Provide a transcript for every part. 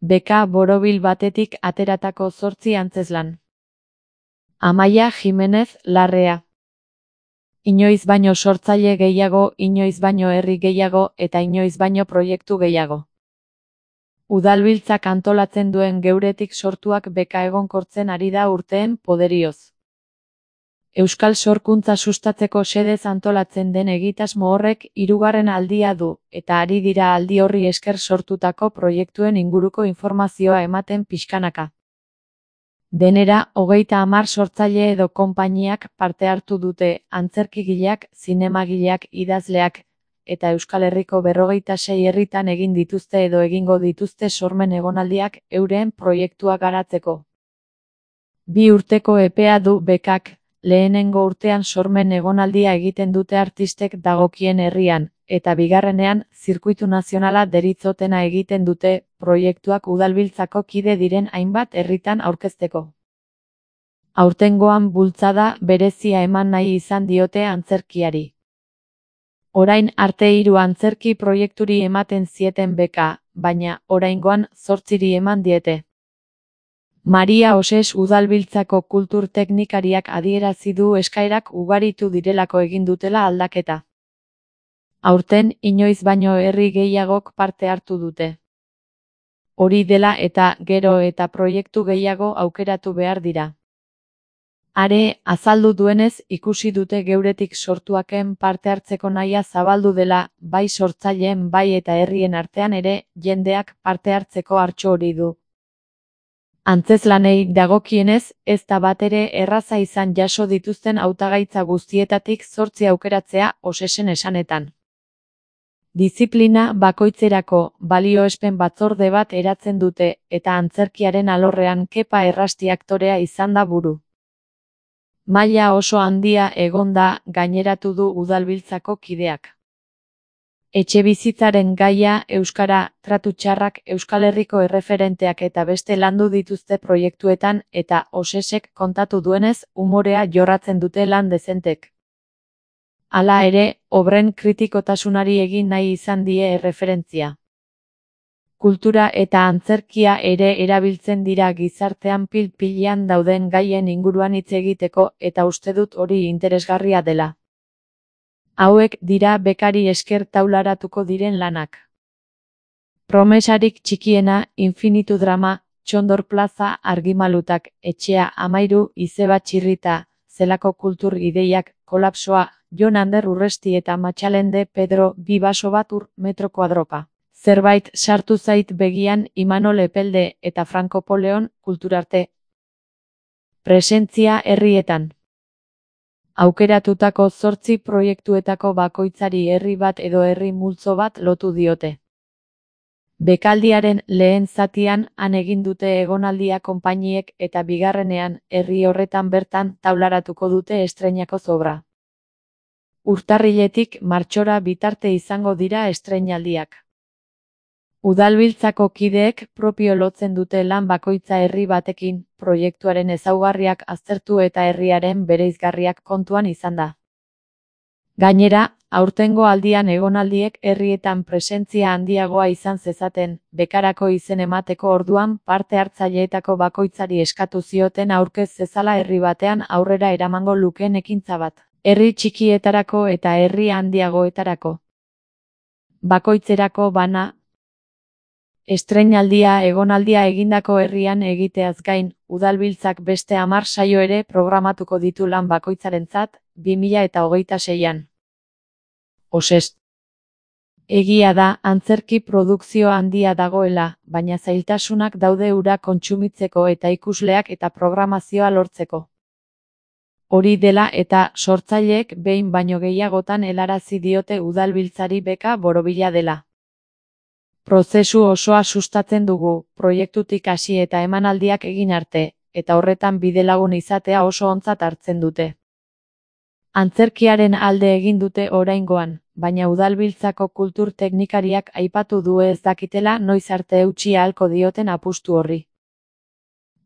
beka borobil batetik ateratako 8 antzezlan. Amaia Jimenez Larrea. Inoiz baino sortzaile gehiago, inoiz baino herri gehiago eta inoiz baino proiektu gehiago. Udalbiltzak antolatzen duen geuretik sortuak beka egonkortzen ari da urteen poderioz. Euskal sorkuntza sustatzeko xedez antolatzen den egitasmo horrek 3. aldia du, eta ari dira aldi horri esker sortutako proiektuen inguruko informazioa ematen pixkanaka. Denera, 30 sortzaile edo konpainiak parte hartu dute, antzerkigileak, zinemagileak, idazleak, eta Euskal Herriko 46 herritan egin dituzte edo egingo dituzte sormen egonaldiak euren proiektua garatzeko. 2 urteko epea du bekak, lehenengo urtean sormen egonaldia egiten dute artistek dagokien herrian, eta bigarrenean, zirkuitu nazionala deritzotena egiten dute, proiektuak udalbiltzako kide diren hainbat herritan aurkezteko. Aurtengoan bultzada berezia eman nahi izan diote antzerkiari. Orain arte 3 antzerki proiekturi ematen zieten beka, baina oraingoan 8 eman diete. Maria Oses udalbiltzako kultur teknikariak adierazi du eskaerak ugaritu direlako egin dutela aldaketa. Aurten inoiz baino herri gehiagok parte hartu dute. Hori dela eta gero eta proiektu gehiago aukeratu behar dira. Are, azaldu duenez, ikusi dute geuretik sortuaken parte hartzeko nahia zabaldu dela, bai sortzaileen bai eta herrien artean ere, jendeak parte hartzeko hartxo hori du. Antzezlanei dagokienez, ez da batere erraza izan jaso dituzten hautagaitza guztietatik 8 aukeratzea Osesen esanetan. Diziplina bakoitzerako balioespen batzorde bat eratzen dute, eta antzerkiaren alorrean Kepa Errasti aktorea izan da buru. Maila oso handia egon da, gaineratu du udalbiltzako kideak. Etxebizitzaren gaia, euskara, tratu txarrak, Euskal Herriko erreferenteak eta beste landu dituzte proiektuetan, eta Osesek kontatu duenez, umorea jorratzen dute lan dezentek. Hala ere, obren kritikotasunari egin nahi izan die erreferentzia. Kultura eta antzerkia ere erabiltzen dira gizartean pil-pilean dauden gaien inguruan hitz egiteko, eta uste dut hori interesgarria dela. Hauek dira bekari esker taularatuko diren lanak. Promesarik txikiena, infinitu drama, Txondor plaza, argimalutak, etxea, amairu, izeba txirrita, zelako kultur ideiak, kolapsoa, Jon Ander Urresti eta Matxalende Pedro, 2 baso bat ur, metro kuadroka. Zerbait sartu zait begian Imanol Epelde eta Franco Poleon, kulturarte. Presentzia herrietan. Aukeratutako 8 proiektuetako bakoitzari herri bat edo herri multzo bat lotu diote. Bekaldiaren lehen zatian han egin dute egonaldia konpainiek eta bigarrenean herri horretan bertan taularatuko dute estreinako obra. Urtarriletik martxora bitarte izango dira estreinaldiak. Udalbiltzako kideek propio lotzen dute lan bakoitza herri batekin, proiektuaren ezaugarriak aztertu eta herriaren bereizgarriak kontuan izan da. Gainera, aurtengo aldian egonaldiek herrietan presentzia handiagoa izan zezaten, bekarako izen emateko orduan parte hartzaileetako bakoitzari eskatu zioten aurkez zezala herri batean aurrera eramango lukeen ekintza bat, herri txikietarako eta herri handiagoetarako. Bakoitzerako bana, estreinaldia egonaldia egindako herrian egiteaz gain, udalbiltzak beste 10 saio ere programatuko ditu lan bakoitzarentzat, 2026an. Oses. Egia da, antzerki produkzio handia dagoela, baina zailtasunak daude hura kontsumitzeko eta ikusleak eta programazioa lortzeko. Hori dela eta sortzaileek behin baino gehiagotan helarazi diote udalbiltzari beka borobila dela. Prozesu osoa sustatzen dugu, proiektutik hasi eta emanaldiak egin arte, eta horretan bidelagun izatea oso ontzat hartzen dute. Antzerkiaren alde egin dute oraingoan, baina udalbiltzako kultur teknikariak aipatu du ez dakitela noiz arte eutsi ahalko dioten apustu horri.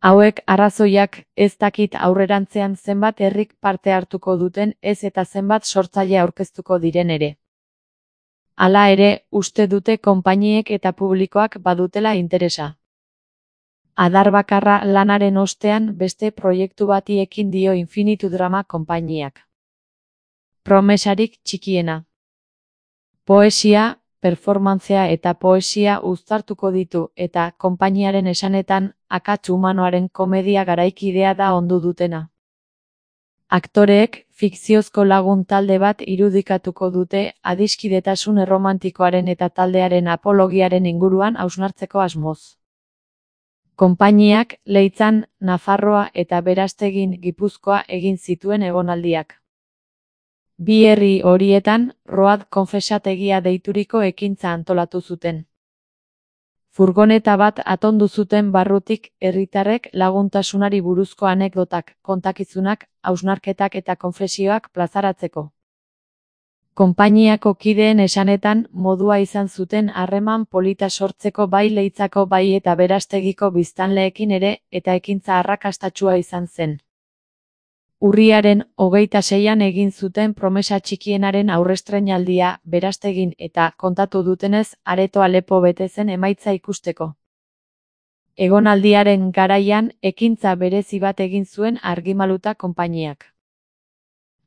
Hauek arrazoiak, ez dakit aurrerantzean zenbat herrik parte hartuko duten ez eta zenbat sortzaile aurkeztuko diren ere. Hala ere, uste dute konpainiek eta publikoak badutela interesa. Adar bakarra lanaren ostean beste proiektu bati ekin dio Infinitu Drama konpainiak. Promesarik txikiena. Poesia, performantzea eta poesia uztartuko ditu eta konpainiaren esanetan akats humanoaren komedia garaikidea da ondu dutena. Aktoreek fikziozko lagun talde bat irudikatuko dute adiskidetasun erromantikoaren eta taldearen apologiaren inguruan hausnartzeko asmoz. Konpainiak Leitzan, Nafarroa eta Berastegin Gipuzkoa egin zituen egonaldiak. Bi herri horietan Road konfesategia deituriko ekintza antolatu zuten. Furgoneta bat atondu zuten barrutik herritarrek laguntasunari buruzko anekdotak, kontakizunak, hausnarketak eta konfesioak plazaratzeko. Konpainiako kideen esanetan modua izan zuten harreman polita sortzeko bai Leitzako bai eta Berastegiko biztanleekin ere eta ekintza arrakastatsua izan zen. Urriaren 26an egin zuten Promesa txikienaren aurrestreinaldia Berastegin eta kontatu dutenez areto Alepo bete zen emaitza ikusteko. Egonaldiaren garaian ekintza berezi bat egin zuen Argimaluta konpainiak.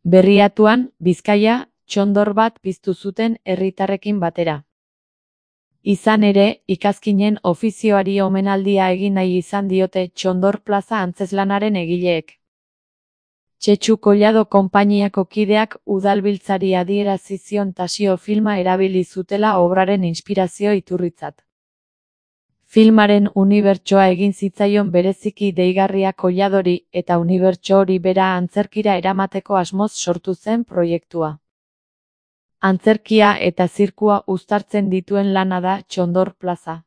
Berriatuan, Bizkaia, txondor bat piztu zuten herritarrekin batera. Izan ere, ikazkinen ofizioari omenaldia egin nahi izan diote Txondor plaza antzezlanaren egileek. Txetxu Collado konpainiako kideak udalbiltzari adierazi zion Tasio filma erabili zutela obraren inspirazio iturritzat. Filmaren unibertsoa egin zitzaion bereziki deigarria Colladori eta unibertso hori bera antzerkira eramateko asmoz sortu zen proiektua. Antzerkia eta zirkua uztartzen dituen lana da Txondor plaza.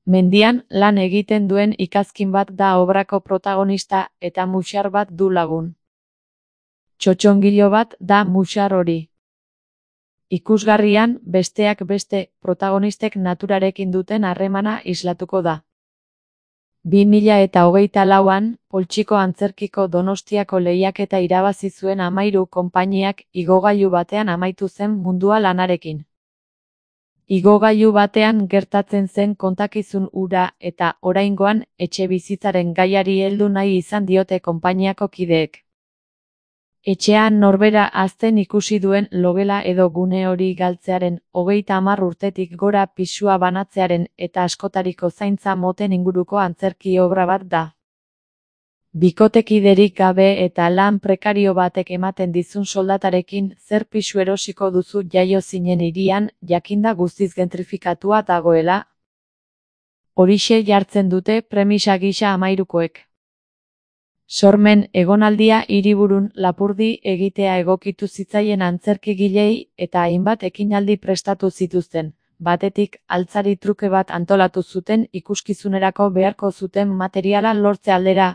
Mendian lan egiten duen ikazkin bat da obrako protagonista eta muxar bat du lagun. Txotxongilo bat da muxar hori. Ikusgarrian, besteak beste, protagonistek naturarekin duten harremana islatuko da. 2024an, Poltsiko Antzerkiko Donostiako lehiaketa irabazi zuen 13 konpainiak igogailu batean amaitu zen mundua lanarekin. Igogailu batean gertatzen zen kontakizun hura eta oraingoan etxebizitzaren gaiari heldu nahi izan diote konpainiako kideek. Etxean norbera hazten ikusi duen logela edo gune hori galtzearen 30 urtetik gora pisua banatzearen eta askotariko zaintza moten inguruko antzerki obra bat da. Bikotekiderik gabe eta lan prekario batek ematen dizun soldatarekin zer pisu erosiko duzu jaio zinen hirian, jakinda guztiz gentrifikatua dagoela. Horixe jartzen dute premisa gisa 13koek. Sormen egonaldia hiriburun lapurdi egitea egokitu zitzaien antzerkigilei eta hainbat ekinaldi prestatu zituzten. Batetik, altzari truke bat antolatu zuten ikuskizunerako beharko zuten materiala lortze aldera.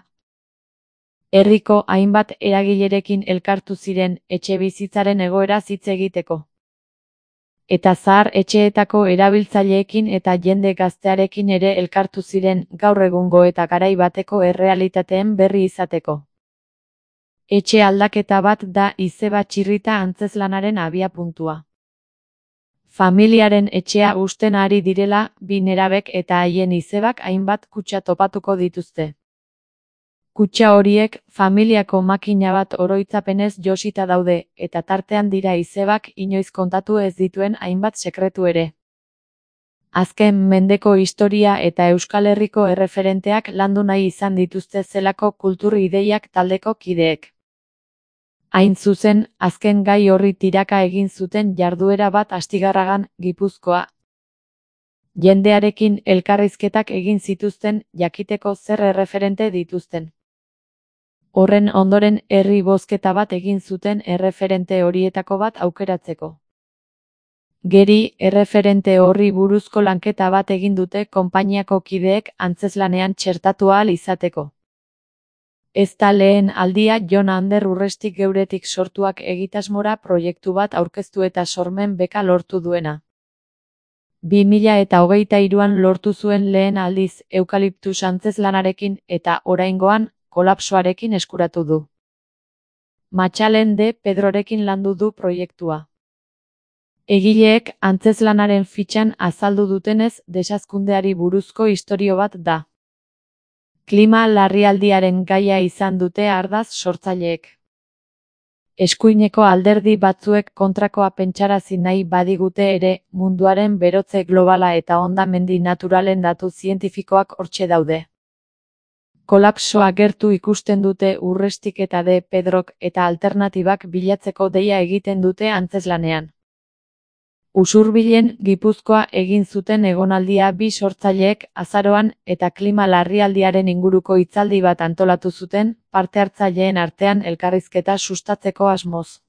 Herriko hainbat eragilerekin elkartu ziren etxebizitzaren egoeraz hitz egiteko. Eta zahar etxeetako erabiltzaileekin eta jende gaztearekin ere elkartu ziren gaur egungo eta garai bateko errealitateen berri izateko. Etxe aldaketa bat da izeba txirrita antzezlanaren abiapuntua. Familiaren etxea husten ari direla, bi nerabek eta haien izebak hainbat kutxa topatuko dituzte. Kutxa horiek familiako makina bat oroitzapenez josita daude, eta tartean dira izebak inoiz kontatu ez dituen hainbat sekretu ere. Azken mendeko historia eta Euskal Herriko erreferenteak landu nahi izan dituzte zelako kultur ideiak taldeko kideek. Hain zuzen, azken gai horri tiraka egin zuten jarduera bat Astigarragan, Gipuzkoa. Jendearekin elkarrizketak egin zituzten jakiteko zer erreferente dituzten. Horren ondoren herri bozketa bat egin zuten erreferente horietako bat aukeratzeko. Geri, erreferente horri buruzko lanketa bat egin dute konpainiako kideek antzezlanean txertatu ahal izateko. Ez da lehen aldia Jon Ander Urrestik geuretik sortuak egitasmora proiektu bat aurkeztu eta sormen beka lortu duena. 2023an lortu zuen lehen aldiz eukaliptus antzezlanarekin eta oraingoan kolapsoarekin eskuratu du. Matxalen de Pedrorekin landu du proiektua. Egileek antzezlanaren fitxan azaldu dutenez desazkundeari buruzko istorio bat da. Klima larrialdiaren gaia izan dute ardatz sortzaileek. Eskuineko alderdi batzuek kontrakoa pentsarazi nahi badigute ere, munduaren berotze globala eta hondamendi naturalen datu zientifikoak hortxe daude. Kolapsoa gertu ikusten dute Urrestik eta De Pedrok eta alternatibak bilatzeko deia egiten dute antzezlanean. Usurbilen Gipuzkoa egin zuten egonaldia bi sortzaileek azaroan eta klima larrialdiaren inguruko hitzaldi bat antolatu zuten, parte-hartzaileen artean elkarrizketa sustatzeko asmoz.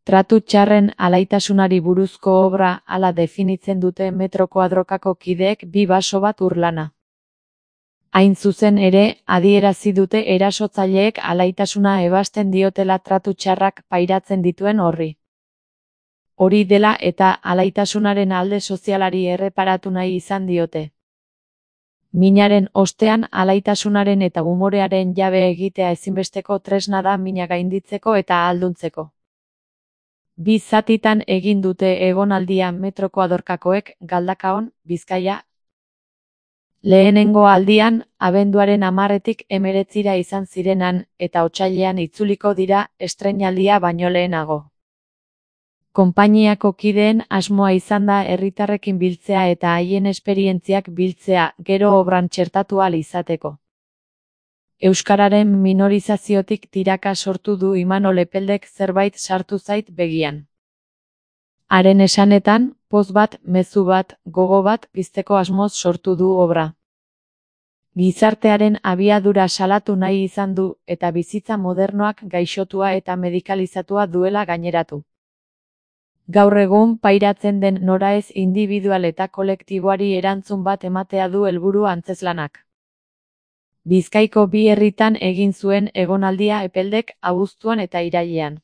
Tratu txarren alaitasunari buruzko obra hala definitzen dute metro koadrokako kideek bi baso bat urlana. Hain zuzen ere, adierazi dute erasotzaileek alaitasuna ebasten diotela tratu txarrak pairatzen dituen horri. Hori dela eta alaitasunaren alde sozialari erreparatu nahi izan diote. Minaren ostean alaitasunaren eta umorearen jabe egitea ezinbesteko tresna da mina gainditzeko eta ahalduntzeko. Bi zatitan egin dute egonaldia metro koadrokakoek Galdakaon, Bizkaia. Lehenengo aldian, abenduaren 10-etik 19 izan zirenan, eta otsailean itzuliko dira estreinaldia baino lehenago. Konpainiako kideen asmoa izan da herritarrekin biltzea eta haien esperientziak biltzea, gero obran txertatu ahal izateko. Euskararen minorizaziotik tiraka sortu du Imanol Epeldek zerbait sartu zait begian. Haren esanetan, poz bat, mezu bat, gogo bat pizteko asmoz sortu du obra. Gizartearen abiadura salatu nahi izan du, eta bizitza modernoak gaixotua eta medikalizatua duela gaineratu. Gaur egun pairatzen den noraez indibidual eta kolektiboari erantzun bat ematea du helburu antzezlanak. Bizkaiko bi herritan egin zuen egonaldia Epeldek abuztuan eta irailean.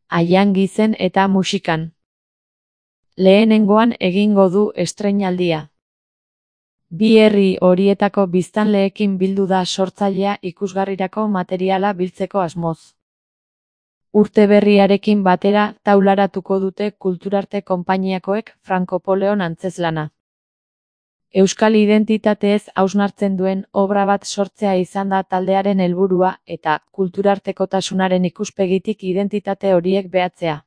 Aian gizen eta musikan. Lehenengoan egingo du estreinaldia. Bi herri horietako biztanleekin bildu da sortzailea ikusgarrirako materiala biltzeko asmoz. Urte berriarekin batera taularatuko dute kulturarte konpainiakoek Frankopoleon antzezlana. Euskal identitateez hausnartzen duen obra bat sortzea izan da taldearen helburua eta kulturartekotasunaren ikuspegitik identitate horiek behatzea.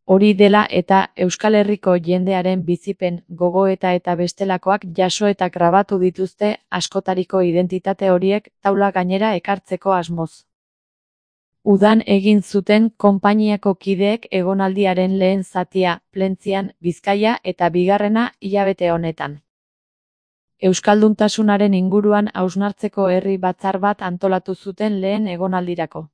Hori dela eta Euskal Herriko jendearen bizipen, gogoeta eta bestelakoak jaso eta grabatu dituzte askotariko identitate horiek taula gainera ekartzeko asmoz. Udan egin zuten konpainiako kideek egonaldiaren lehen zatia, Plentzian, Bizkaia eta bigarrena hilabete honetan. Euskalduntasunaren inguruan hausnartzeko herri batzar bat antolatu zuten lehen egonaldirako.